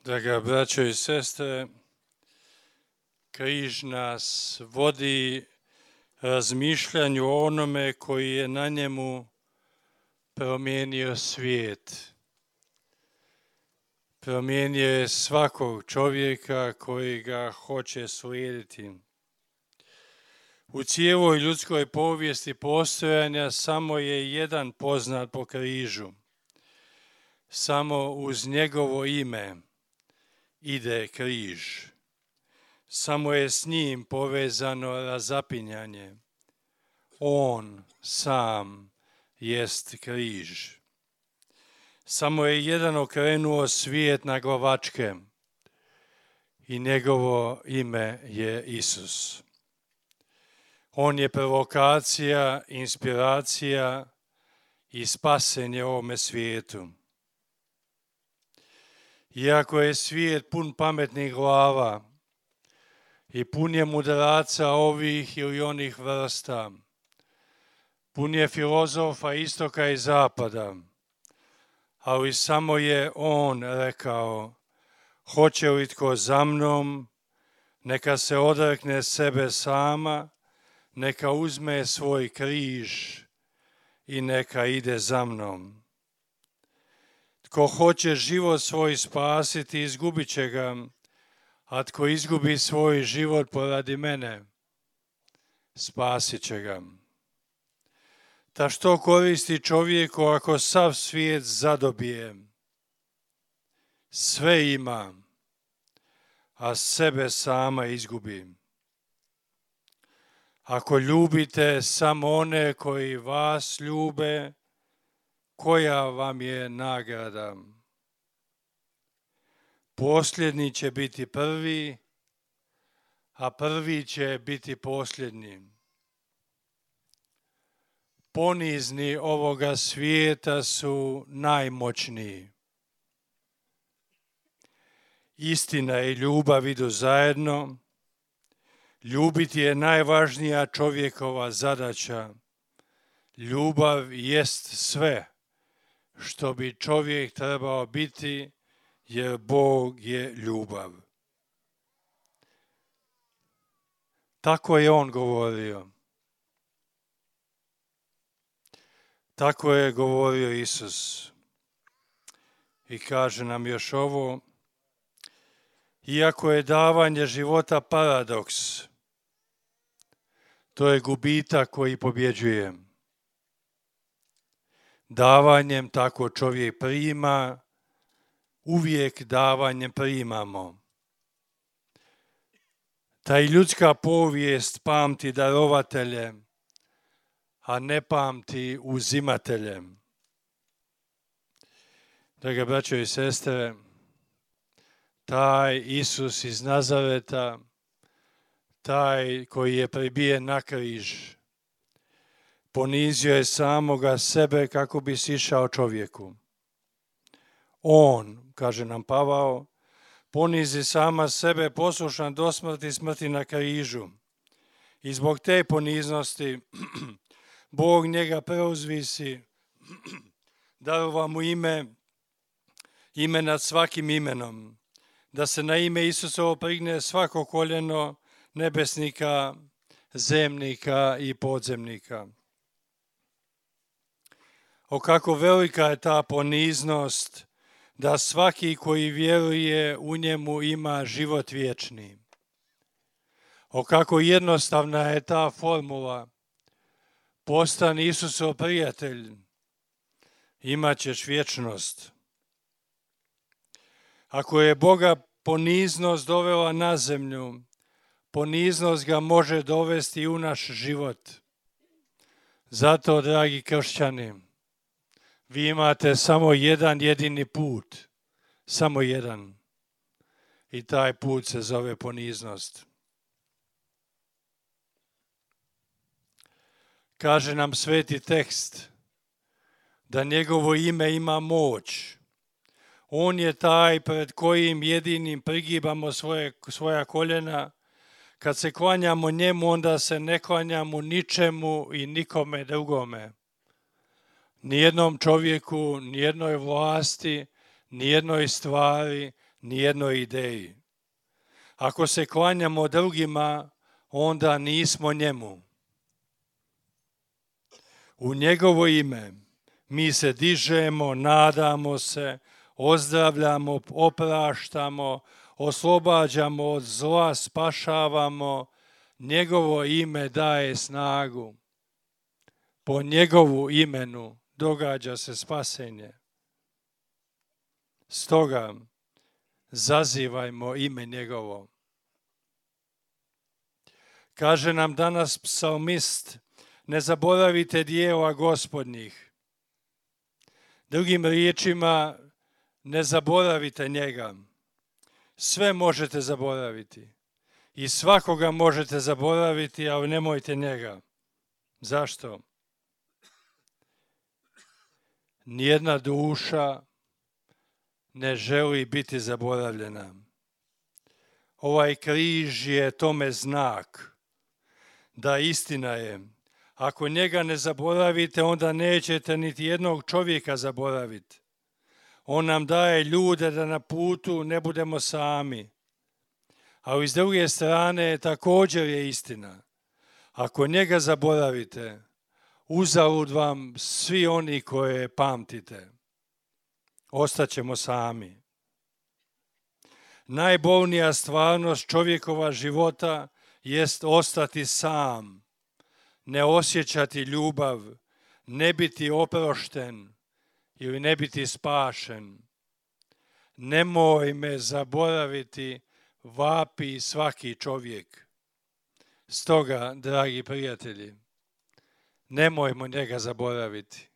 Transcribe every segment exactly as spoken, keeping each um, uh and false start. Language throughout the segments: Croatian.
Draga braćo i sestre, križ nas vodi razmišljanju o onome koji je na njemu promijenio svijet. Promijenio je svakog čovjeka koji ga hoće slijediti. U cijeloj ljudskoj povijesti postojanja samo je jedan poznat po križu. Samo uz njegovo ime ide križ. Samo je s njim povezano razapinjanje. On sam jest križ. Samo je jedan okrenuo svijet na glavačke i njegovo ime je Isus. On je provokacija, inspiracija i spasenje ovome svijetu. Iako je svijet pun pametnih glava i pun je mudraca ovih ili onih vrsta, pun je filozofa istoka i zapada, ali samo je on rekao: hoće li tko za mnom, neka se odrekne sebe sama, neka uzme svoj križ i neka ide za mnom. Tko hoće život svoj spasiti, izgubit će ga, a tko izgubi svoj život poradi mene, spasit će ga. Ta što koristi čovjeku ako sav svijet zadobije? Sve ima, a sebe sama izgubi. Ako ljubite samo one koji vas ljube, koja vam je nagrada? Posljednji će biti prvi, a prvi će biti posljednji. Ponizni ovoga svijeta su najmoćniji. Istina i ljubav idu zajedno. Ljubiti je najvažnija čovjekova zadaća. Ljubav jest sve što bi čovjek trebao biti, jer Bog je ljubav. Tako je on govorio. Tako je govorio Isus. I kaže nam još ovo: iako je davanje života paradoks, to je gubitak koji pobjeđuje. Davanjem tako čovjek prima, uvijek davanjem primamo. Ta i ljudska povijest pamti darovatelje, a ne pamti uzimatelje. Drage braćo i sestre, taj Isus iz Nazareta, taj koji je pribijen na križ, ponizio je samoga sebe kako bi sišao čovjeku. On, kaže nam Pavao, ponizi sama sebe, poslušan do smrti, smrti na križu. I zbog te poniznosti Bog njega preuzvisi, darova mu ime, ime nad svakim imenom, da se na ime Isusovo prigne svako koljeno nebesnika, zemnika i podzemnika. O kako velika je ta poniznost da svaki koji vjeruje u njemu ima život vječni. O kako jednostavna je ta formula: postani Isusov prijatelj, imat ćeš vječnost. Ako je Boga poniznost dovela na zemlju, poniznost ga može dovesti u naš život. Zato, dragi kršćani, vi imate samo jedan jedini put, samo jedan. I taj put se zove poniznost. Kaže nam sveti tekst da njegovo ime ima moć. On je taj pred kojim jedinim prigibamo svoje, svoja koljena. Kad se klanjamo njemu, onda se ne klanjamo ničemu i nikome drugome. Nijednom čovjeku, nijednoj vlasti, nijednoj stvari, nijednoj ideji. Ako se klanjamo drugima, onda nismo njemu. U njegovo ime mi se dižemo, nadamo se, ozdravljamo, opraštamo, oslobađamo od zla, spašavamo. Njegovo ime daje snagu. Po njegovu imenu događa se spasenje. Stoga zazivajmo ime njegovo. Kaže nam danas psalmist, ne zaboravite djela Gospodnjih. Drugim riječima, ne zaboravite njega. Sve možete zaboraviti. I svakoga možete zaboraviti, ali nemojte njega. Zašto? Nijedna duša ne želi biti zaboravljena. Ovaj križ je tome znak da istina je. Ako njega ne zaboravite, onda nećete niti jednog čovjeka zaboraviti. On nam daje ljude da na putu ne budemo sami. Ali s druge strane također je istina. Ako njega zaboravite, uzalud vam svi oni koje pamtite. Ostaćemo sami. Najbolnija stvarnost čovjekova života jest ostati sam, ne osjećati ljubav, ne biti oprošten ili ne biti spašen. Nemoj me zaboraviti, vapi svaki čovjek. Stoga, dragi prijatelji, nemojmo njega zaboraviti.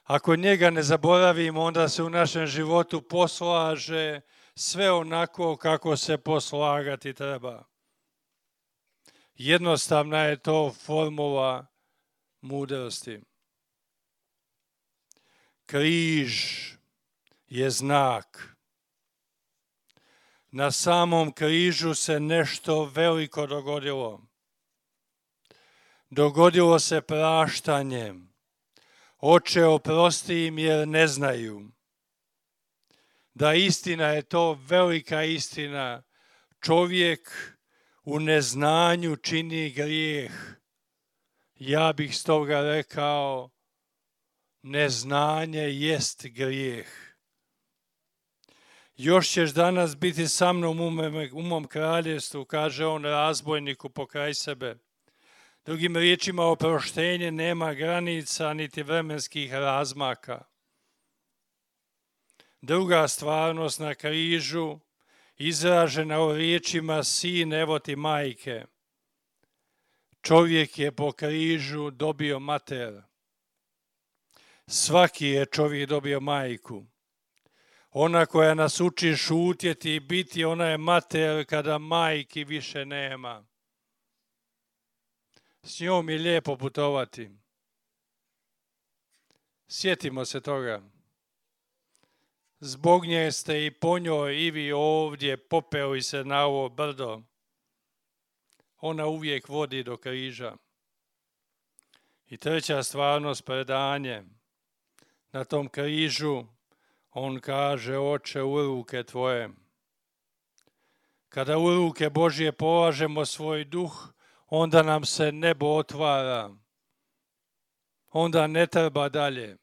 Ako njega ne zaboravimo, onda se u našem životu poslaže sve onako kako se poslagati treba. Jednostavna je to formula mudrosti. Križ je znak. Na samom križu se nešto veliko dogodilo. Dogodilo se praštanje. Oče, oprosti im jer ne znaju. Da, istina je to velika istina. Čovjek u neznanju čini grijeh. Ja bih stoga rekao, neznanje jest grijeh. Još ćeš danas biti sa mnom u mom kraljevstvu, kaže on razbojniku pokraj sebe. Drugim riječima, oproštenje nema granica niti vremenskih razmaka. Druga stvarnost na križu, izražena u riječima sin, evo ti majke. Čovjek je po križu dobio mater. Svaki je čovjek dobio majku. Ona koja nas uči šutjeti i biti, ona je mater kada majki više nema. S njom je lijepo putovati. Sjetimo se toga. Zbog nje ste i po njoj i vi ovdje popeli se na ovo brdo. Ona uvijek vodi do križa. I treća stvarnost, predanje. Na tom križu on kaže, oče, u ruke tvoje. Kada u ruke Božje polažemo svoj duh, onda nam se nebo otvara. Onda ne treba dalje.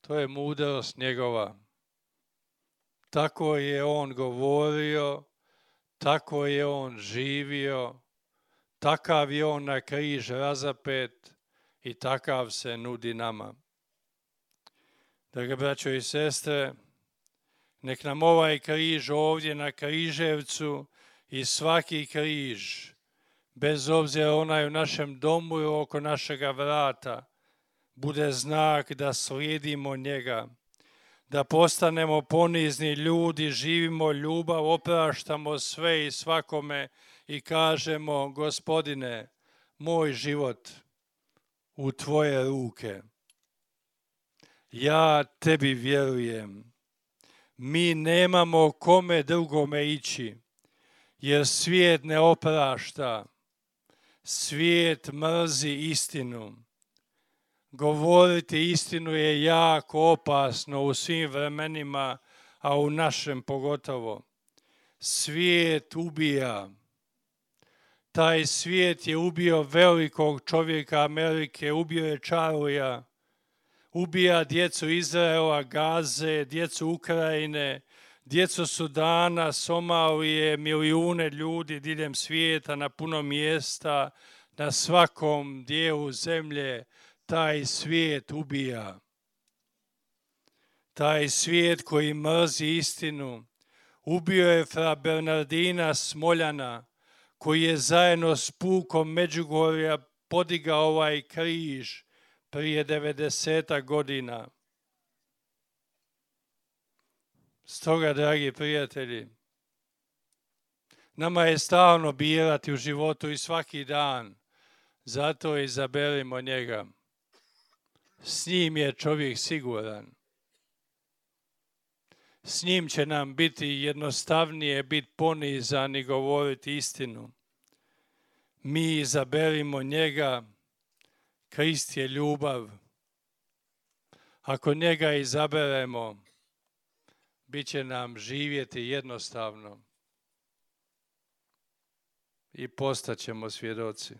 To je mudrost njegova. Tako je on govorio, tako je on živio, takav je on na križ razapet i takav se nudi nama. Drage braćo i sestre, nek nam ovaj križ ovdje na Križevcu i svaki križ, bez obzira onaj u našem domu i oko našega vrata, bude znak da slijedimo njega, da postanemo ponizni ljudi, živimo ljubav, opraštamo sve i svakome i kažemo, Gospodine, moj život u tvoje ruke. Ja tebi vjerujem. Mi nemamo kome drugome ići, jer svijet ne oprašta. Svijet mrzi istinu. Govoriti istinu je jako opasno u svim vremenima, a u našem pogotovo. Svijet ubija. Taj svijet je ubio velikog čovjeka Amerike, ubio je Charlija, ubija djecu Izraela, Gaze, djecu Ukrajine, djecu Sudana, Somalije, milijune ljudi diljem svijeta, na puno mjesta, na svakom dijelu zemlje. Taj svijet ubija. Taj svijet koji mrzi istinu. Ubio je fra Bernardina Smoljana, koji je zajedno s pukom Međugorja podigao ovaj križ prije devedeset godina. Stoga, dragi prijatelji, nama je stalno birati u životu i svaki dan. Zato izaberimo njega. S njim je čovjek siguran. S njim će nam biti jednostavnije biti ponizan i govoriti istinu. Mi izaberimo njega, Krist je ljubav. Ako njega izaberemo, bit će nam živjeti jednostavno i postaćemo svjedoci.